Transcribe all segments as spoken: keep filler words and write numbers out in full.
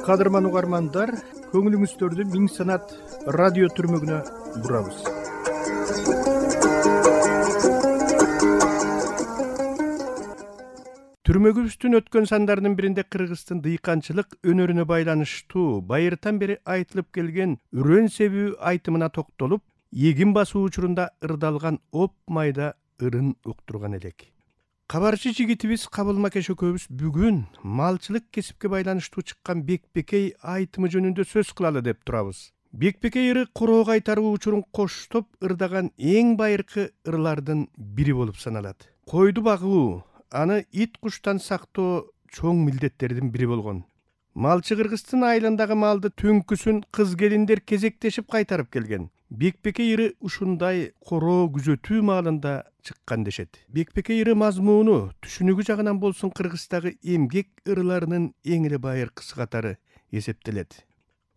Кадырман угармандар, көңүлүңүздөрдү Миң Санат радио түрмөгүнө бурабыз. Түрмөгүбүздүн өткөн сандарынын биринде Кыргыздын дыйканчылык өнөрүнө байланыштуу байыртан бери айтылып келген үрөн себүү айтымына токтолуп, эгин басуу учурунда ырдалган оп майда ырын уктурган элек. Кабарчы жигитибиз Кабылмакеш экөөбүз бүгүн малчылык кесипке байланыштуу чыккан Бекбекей айтымы жөнүндө сөз кылалы деп турабыз. Бекбекей ыры короо кайтаруу учурун коштоп ырдаган эң байыркы ырлардын бири болуп саналат. Койду багуу, аны ит куштан сактоо чоң милдеттердин бири болгон. Малчы Кыргыздын айылындагы малды түнкүсүн кыз келиндер кезектешип кайтарып келген. Бекбекей ыры ушундай короо күзөтүү маалында чыккан дешет. Бекбекей ыры мазмуну, түшүнүгү жагынан болсун Кыргыздагы эмгек ырыларынын эң эле байыркысы катары эсептелет.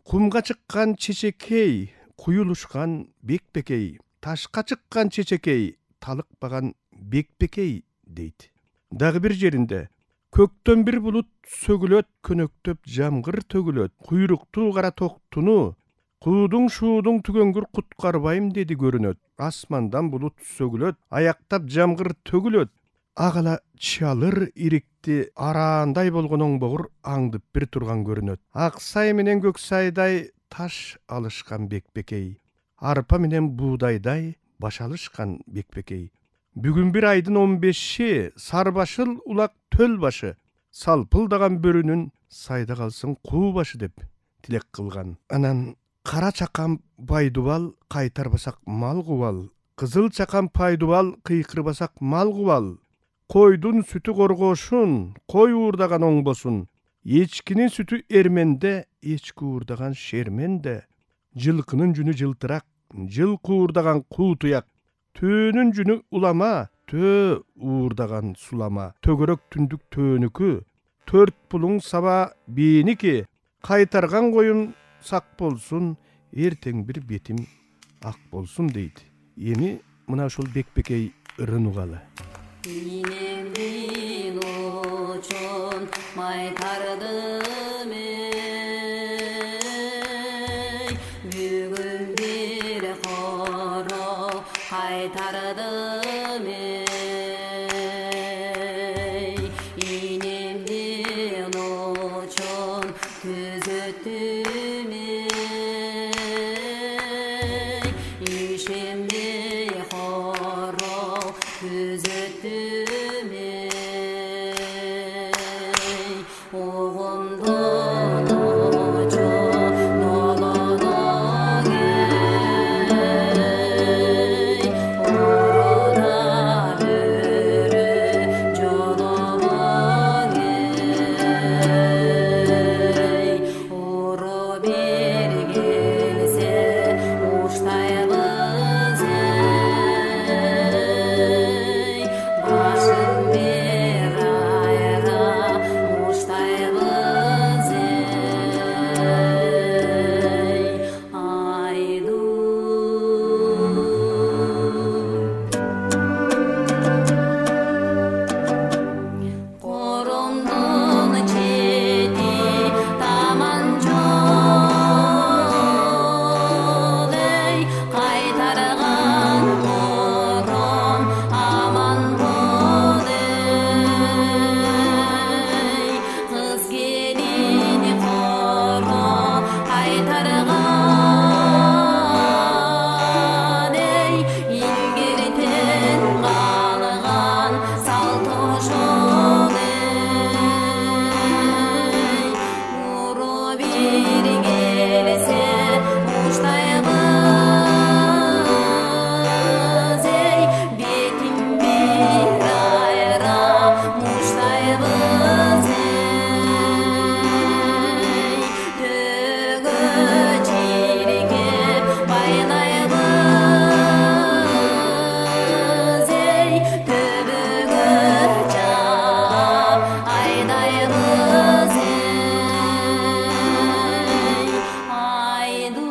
Кумга чыккан чечекей, куюлушкан Бекбекей, ташка чыккан чечекей, талыкпаган Бекбекей дейт. Дагы бир жеринде көктөн бир булут сөгүлөт, көнөктөп жамгыр төгүлөт, куйруктуу кара токтуну куудуң шуудуң түгөнгүр куткарбайм деди көрүнөт. Асмандан булут сөгүлөт, аяктап жамгыр төгүлөт. Агала чалыр ирикти араандай болгон оңбогур аңдып бир турган көрүнөт. Ак сай менен көк сайдай таш алышкан Бекбекей. Арпа менен буудайдай баш алышкан Бекбекей. Бүгүн бир айдын он беши, сарбашыл улак төл башы, салпылдаган бөрүнүн сайда калсын куу башы деп тилек кылган. Анан кара чакан байдубал кайтарбасак мал кубал, кызыл чакан пайдубал кыйкырбасак мал кубал. Койдун сүтү коргоошун, кой уурдаган оңбосун, эчкинин сүтү эрменде, эчки уурдаган шерменде. Жылкынын жүнү жылтырак, жылкы уурдаган куу туяк, төөнүн жүнү улама, төө уурдаган сулама. Төгөрөк түндүк төөнүкү, төрт пулуң саба бийники, кайтарган коюн сак болсун, эртең бир бетим ак болсун дейт. Эми мына ушул Бекбекей ырын угалы. Инемдин очон майтардым эй, бүгүн бир коро кайтардым эй. Инемдин очон күзөттүм эй, ишенбей коро күзөттүм эй. Огондон очо нолоноң эй, орода бөрү жолобоң эй. Оро бир келсе уштайбыз эй, башын бир айра уштайбыз эй. Айду корондун чети таман жол эй, кайтарган кором аман бол эй. Кыз келин коро кайтарган эй, илгертен калган салт ошол эй. Уро бир келсе уштайбыз эй, бетим бир айра муштайбыз эй. Төгө чиркеп байлайбыз эй, төбөгө чаап айдайбыз эй. Айду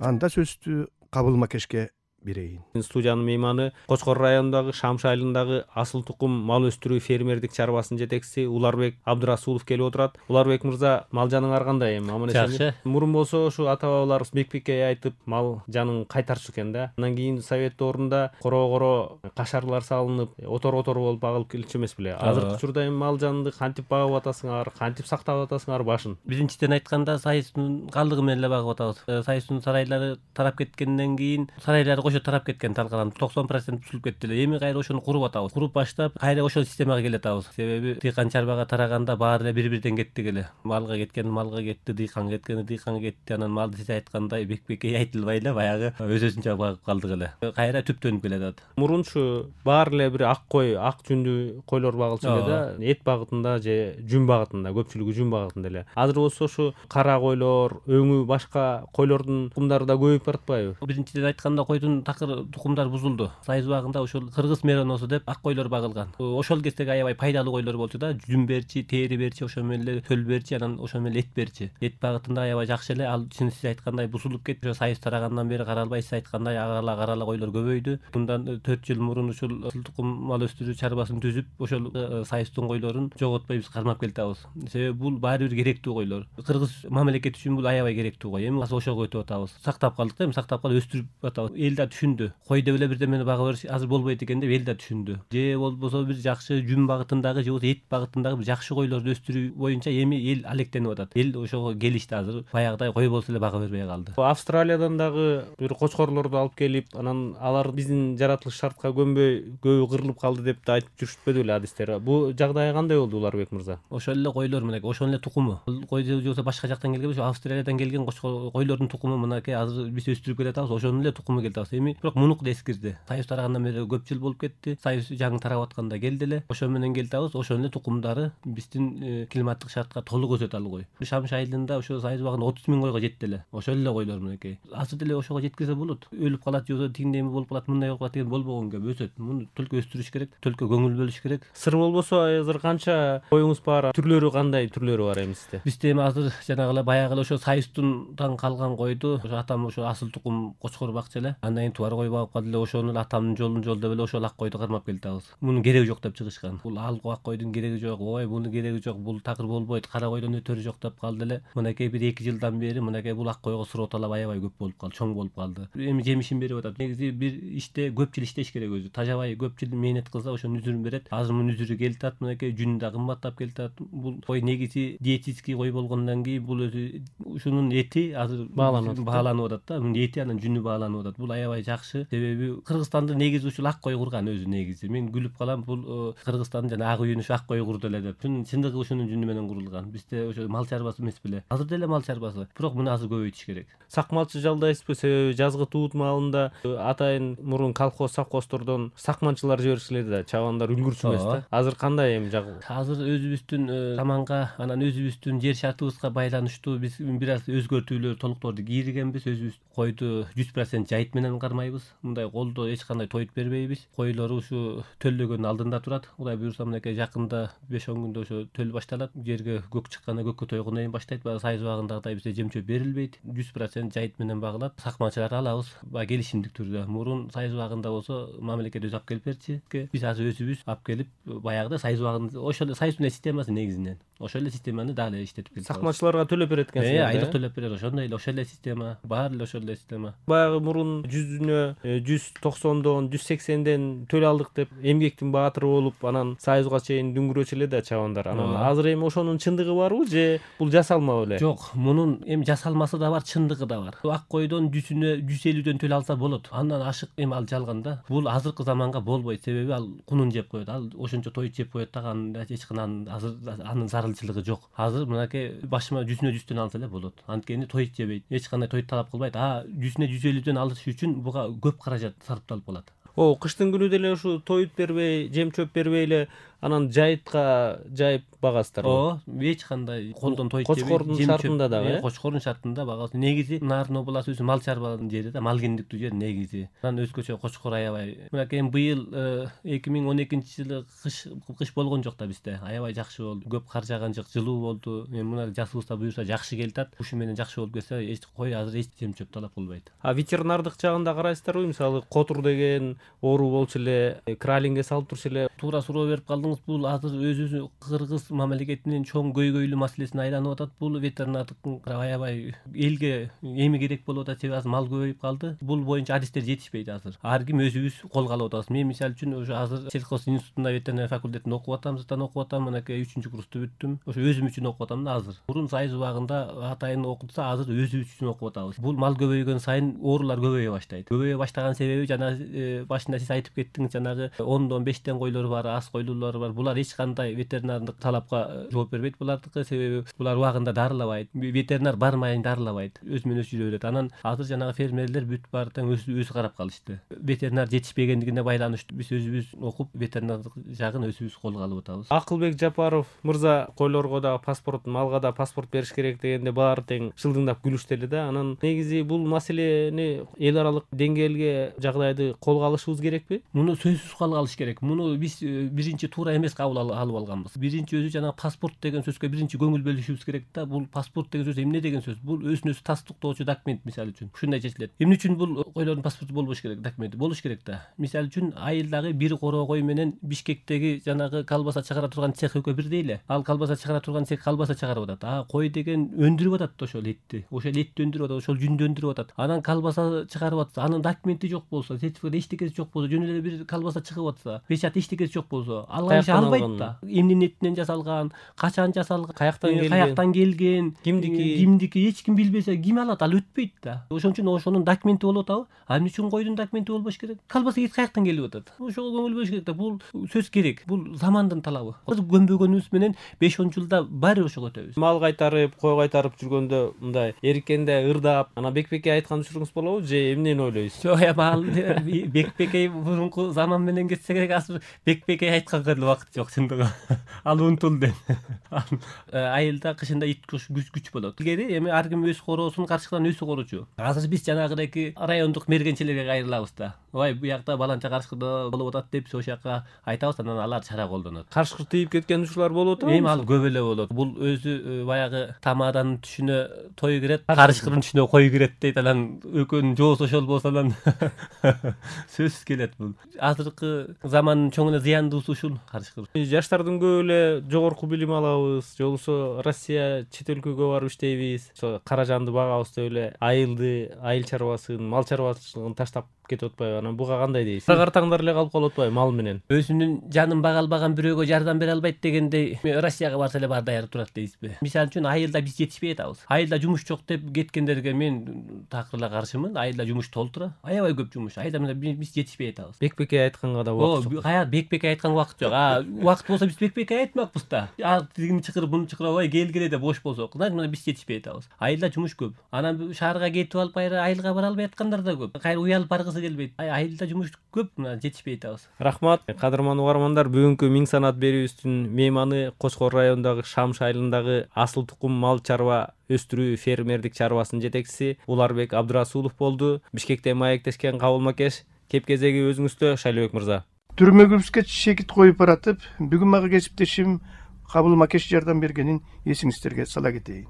Анда сөздү Кабылмакешке берейин. Студиянын мейманы Кочкор районундагы Шамшы айылындагы асыл тукум мал өстүрүү фермердик чарбасынын жетекчиси Уларбек Абдырасулов келип отурат. Уларбек мырза, мал жаныңар кандай эми? Аман эсенби? Жакшы. Мурун болсо ушу ата бабаларыбыз бек-бекке айтып мал жанын кайтарчу экен да. Андан кийин совет доорунда коро-коро кашарлар салынып, отор-отор болуп агылып келчү эмес беле? Азыркы учурда эми мал жанды кантип багып атасыңар, кантип сактап атасыңар башын? Биринчиден айтканда Сайыстын калдыгы менен эле багып атабыз. Сайыстын сарайлары тарап кеткенден кийин сарайлары кошо тарап кеткен, талкаланып токсон процент бузулуп кетти эле. Эми кайра ошону куруп атабыз. Куруп баштап кайра ошол системага келатабыз. Себеби дыйкан чарбага тараганда баары эле бири-бирден кеттик эле. Малга кеткен малга кетти, дыйканга кеткен дыйканга кетти. Анан малды сиз айткандай бек-бекке айтылбай эле баягы өз-өзүнчө багып калдык эле. Кайра түптөнүп келатат. Мурунчу баары эле бир ак кой, ак жүндүү койлор багылчу эле да, эт багытында же жүн багытында, көпчүлүгү жүн багытында эле. Азыр болсо ушу кара койлор, өңү башка койлордун тукумдары да көбөйүп баратпайбы? Биринчиден айтканда койдун такыр тукумдар бузулду. Сайыз убагында ошол кыргыз мероносу деп ак койлор багылган. Ошол кездеги аябай пайдалуу койлор болчу да, жүн берчи, тери берчи, ошо менен эле төл берчи, анан ошо менен эт берчи. Эт багытында аябай жакшы эле. Ал чын сиз айткандай бузулуп кетти. Ошо сайыз тарагандан бери каралбай сиз айткандай агала карала койлор көбөйдү. Мындан төрт жыл мурун ушул асыл тукум мал өстүрүү чарбасын түзүп, ошол сайыздын койлорун жоготпой биз кармап келатабыз. Себеби бул баары бир керектүү койлор. Кыргыз мамлекети үчүн бул аябай керектүү кой. Эми азыр ошого өтүп атабыз. Сактап калдык да, эми сактап калып өстүрүп атабыз. Эл да түшүндү. Кой деп эле бирдемени багып бериш азыр болбойт экен деп эл да түшүндү. Же болбосо бир жакшы жүн багытындагы же болбосо эт багытындагы бир жакшы койлорду өстүрүү боюнча эми эл алектенип атат. Эл ошого келишти азыр. Баягыдай кой болсо эле бага бербей калды. Австралиядан дагы бир кочкорлорду алып келип, анан алар биздин жаратылыш шартка көнбөй көбү кырылып калды деп да айтып жүрүшпөдү беле адистер. Бул жагдай кандай болду Уларбек мырза? Ошол эле койлор мынакей, ошол эле тукуму. Кой же болбосо башка жактан келген эмес, Австралиядан келген койлордун тукуму мынакей азыр биз өстүрүп келатабыз. Ошонун эле тукуму келатабыз. Эми бирок мунуку да эскирди. Сайыз тарагандан бери көп жыл болуп кетти. Сайыз жаңы тарап атканда келди эле. Ошо менен келатабыз. Ошонун эле тукумдары биздин климаттык шартка толук өсөт алгой. Шамшы айылында ошо сайыз убагында отуз миң койго жетти эле. Ошол эле койлор мынакей. Азыр деле ошого жеткизе болот. Өлүп калат же болбосо тигиндей болуп калат, мындай болуп калат деген болбогон кеп өсөт. Муну төлкө өстүрүш керек, төлкө көңүл бөлүш керек. Сыр болбосо азыр канча коюңуз бар? Түрлөрү кандай түрлөрү бар эми сизде? Бизде эми азыр жанагы эле баягы эле ошо сайыстан калган койду ошо атам ошо асыл тукум Кочкор бакчы эле. Андан кийин туар кой багып калды эле. Ошону атамдын жолун жол деп эле ошол ак койду кармап келатабыз. Мунун кереги жок деп чыгышкан. Бул ал ак койдун кереги жок, ой мунун кереги жок, бул такыр болбойт, кара койдон өтөрү жок деп калды эле. Мынакей бир эки жылдан бери мынакей бул ак койго суроо талап аябай көп болуп калды, чоң болуп калды. Эми жемишин берип атат. Негизи бир иште көп жыл иштеш керек өзү. Тажабай көп жыл мээнет кылса ошонун үзүрүн берет. Азыр мунун үзүрү келатат, мынакей жүнү да кымбаттап келатат. Бул кой негизи диетический кой болгондон кийин бул өзү ушунун эти азыр бааланып бааланып атат да. Мунун эти анан жүнү бааланып атат. Бул аябай жакшы. Себеби Кыргызстанды негизи ушул ак кой курган өзү негизи. Мен күлүп калам, бул Кыргызстандын жана ак үйүн ушу ак кой курду эле деп. Чындыгы ушунун жүнү менен курулган. Бизде ошо мал чарбасы эмес беле. Азыр деле мал чарбасы. Бирок муну азыр көбөйтүш керек. Сакмалчы жалдайсызбы? Себеби жазгы туут маалында атайын мурун колхоз совхоздордон сакманчылар жиберишилди да, чабандар үлгүрчү эмес да. Азыр кандай эми жагы? Азыр өзүбүздүн заманга, анан өзүбүздүн жер шартыбызга байланыштуу биз бир аз өзгөртүүлөр, толуктоорду кийригенбиз. Өзүбүз койду жүз процент жайыт менен кармайбыз. Мындай колдо эч кандай тойут бербейбиз. Койлор ушу төлдөгөнүн алдында турат. Кудай буюрса мынакей жакында беш он күндө ошо төл башталат. Жерге көк чыкканда көккө тойгондон кийин баштайт. Баягы сайыз убагындагыдай бизде жем чөп берилбейт. жүз процент жайыт менен багылат. Сакманчыларды алабыз баягы келишимдик түрдө. Мурун сайыз убагында болсо мамлекет өзү алып келип берчү. Биз азыр өзүбүз алып келип баягыда сайыз убагын ошол сайыздын системасы негизинен ошол эле системаны дагы эле иштетип келатабыз. Сакманчыларга төлөп берет экенсиз. Э, айлык төлөп берет. Ошондой эле ошол эле система, баары эле ошол эле система. Баягы мурун жүзүнө жүз токсондон жүз сексенден төл алдык деп эмгектин баатыры болуп, анан сайызга чейин дүңгүрөчү эле да чабандар. Анан азыр эми ошонун чындыгы барбы же бул жасалма беле? Жок, мунун эми жасалмасы да бар, чындыгы да бар. Ак койдон жүзүнө жүз элүүдөн төл алса болот. Андан ашык эми ал жалган да. Бул азыркы заманга болбойт. Себеби ал кунун жеп коет. Ал ошончо тойут жеп коет да, анын эч кандай азыр анын зарылчылыгы жок. Азыр мынакей башыма жүзүнө жүздөн алса эле болот. Анткени тойут жебейт. Эч кандай тойут талап кылбайт. А жүзүнө жүз элүүдөн алыш үчүн буга көп каражат сарпталып калат. О, кыштын күнү деле ушу тоют бербей, жем чөп бербей эле анан жайытка жайып багасыздарбы? ооба, эч кандай колдон тойчу Кочкордун шартында дагы, э? Кочкордун шартында багасы. Негизи Нарын областы өзү мал чарбанын жери да, мал кендиктүү жер негизи. Анан өзгөчө Кочкор аябай. Мынакей быйыл эки миң он экинчи жылы кыш кыш болгон жок да бизде. Аябай жакшы болду. Көп кар жааган жок, жылуу болду. Эми мына жасыбызда буюрса жакшы келип атат. Ушу менен жакшы болуп кетсе, эч кой азыр эч жем чөп талап кылбайт. А ветеринардык жагында карайсыздарбы? Мисалы, котур деген оору болчу эле, кралингге салып турчу эле. Туура суроо берип калдыңыз. Бул азыр өзүбүз Кыргыз мамлекетинин чоң көйгөйлүү маселесине айланып атат. Бул ветеринардыктын аябай элге эми керек болуп атат. Себеби азыр мал көбөйүп калды. Бул боюнча адистер жетишпейт азыр. Ар ким өзүбүз колго алып атабыз. Мен мисалы үчүн ошо азыр сельхоз институтунда ветеринария факультетинде окуп атам, зыттан окуп атам. Мынакей үчүнчү курсту бүттүм. Ошо өзүм үчүн окуп атам да азыр. Мурун сайыз убагында атайын окутса, азыр өзүбүз үчүн окуп атабыз. Бул мал көбөйгөн сайын оорулар көбөйө баштайт. Көбөйө баштаган себеби жана башында сиз айтып кеттиңиз, жанагы ондон бештен койлор бар, аз койлуулар бар. Булар эч кандай ветеринардык талапка жооп бербейт булардыкы, себеби булар убагында дарылабайт. Ветеринар бармайын дарылабайт. Өзү менен өзү жүрө берет. Анан азыр жанагы фермерлер бүт баары тең өзү өзү карап калышты. Ветеринар жетишпегендигине байланыштуу биз өзүбүз окуп ветеринардык жагын өзүбүз колго алып атабыз. Акылбек Жапаров мырза койлорго да паспорт, малга да паспорт бериш керек дегенде баары тең шылдыңдап күлүштү эле да. Анан негизи бул маселени эл аралык деңгээлге жагдайды колго алышыбыз керекпи? Муну сөзсүз колго алыш керек. Муну биз биринчи туура эмес кабыл алып алганбыз. Биринчи өзү жана паспорт деген сөзгө биринчи көңүл бөлүшүбүз керек да. Бул паспорт деген сөз эмне деген сөз? Бул өзүн өзү тастыктоочу документ мисалы үчүн. Ушундай чечилет. Эмне үчүн бул койлордун паспорту болбош керек, документи болуш керек да. Мисалы үчүн айылдагы бир короо кой менен Бишкектеги жанагы колбаса чыгара турган цех экөө бирдей эле. Ал колбаса чыгара турган цех колбаса чыгарып атат. А кой деген өндүрүп атат ошол этти. Ошол этти өндүрүп атат, ошол жүндү өндүрүп атат. Анан колбаса чыгарып атса, анын документи жок болсо, сертификат эчтекеси жок болсо, жөн эле бир колбаса чыгып атса, печать эчтекеси жок болсо, алган иши албайт да. Эмненин этинен жасалган, качан жасалган, каяктан келген, каяктан келген, кимдики, кимдики эч ким билбесе, ким алат, ал өтпөйт да. Ошон үчүн ошонун документи болуп атабы? А эмне үчүн койдун документи болбош керек? Колбаса эт каяктан келип атат? Ошого көңүл бөлүш керек да. Бул сөз керек. Бул замандын талабы. Азыр көнбөгөнүбүз менен беш он жылда баары ошого өтөбүз. Мал кайтарып, кой кайтарып жүргөндө мындай эриккенде ырдап, анан Бекбекке айткан учуруңуз болобу же эмнени ойлойсуз? Жок, эми ал Бекбекке мурунку заман менен кетсе керек, азыр Бекбекке айтканга эле убакыт жок чындыгы. Ал унутулду. Айылда кышында ит күч күч болот. Илгери эми ар ким өз короосун карчыктан өзү корочу. Азыр биз жанагыдеки райондук мергенчилерге кайрылабыз да. Ой, бу жакта баланча карчыгы болуп атат деп ошол жака айтабыз, анан алар чара колдонот. Карчыгы тийип кеткен учурлар болуп атабы? Эми ал көп эле болот. Бул өзү баягы тамаданын түшүнө той кирет, карчыгынын түшүнө кой кирет дейт. Анан экөөнүн жоосу ошол болсо анан сөзсүз келет бул. Азыркы замандын чоң эле зыяндуусу ушул карчыгы. Жаштардын көп эле жогорку билим алабыз, же болбосо Россия чет өлкөгө барып иштейбиз, ошо каражанды багабыз деп эле айылды, айыл чарбасын, мал чарбачылыгын таштап кетип атпайбы? Анан буга кандай дейсиз? Картаңдар эле калып калып атпайбы мал менен? Өзүнүн жанын бага албаган бирөөгө жардам бере албайт дегендей, Россияга барса эле баары даяр турат дейсизби? Мисалы үчүн айылда биз жетишпей атабыз. Айылда жумуш жок деп кеткендерге мен такыр эле каршымын. Айылда жумуш толтура. Аябай көп жумуш. Айылда менен биз жетишпей атабыз. Бекбекке айтканга да убакыт жок. Кая Бекбекке айтканга убакыт жок. А убакыт болсо биз Бекбекке айтмакпыз да. А тигини чакырып, буну чакырып, ой келгиле деп бош болсок, мына биз жетишпей атабыз. Айылда жумуш көп. Анан шаарга кетип алып кайра айылга бара албай аткандар да көп. Кайра уялып баргысы келбейт. Айылда жумуш көп, мына жетишпей атабыз. Рахмат. Кадырман угармандар, бүгүнкү Миң санат берүүбүздүн мейманы Кочкор районундагы Шамш айылындагы асыл тукум мал чарба өстүрүү фермердик чарбасынын жетекчиси Уларбек Абдырасулов болду. Бишкектен маектешкен Кабыл Макеш. Кеп кезеги өзүңүздө, Шайлыбек мырза. Түрмөгүбүзгө шекит коюп баратып, бүгүн мага кесиптешим Кабыл Макеш жардам бергенин эсиңиздерге сала кетейин.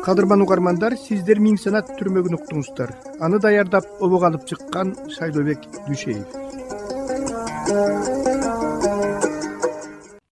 Кадырман угармандар, сиздер Миң санат түрмөгүн уктуңуздар. Аны даярдап обого алып чыккан Шайлыбек Дүшеев.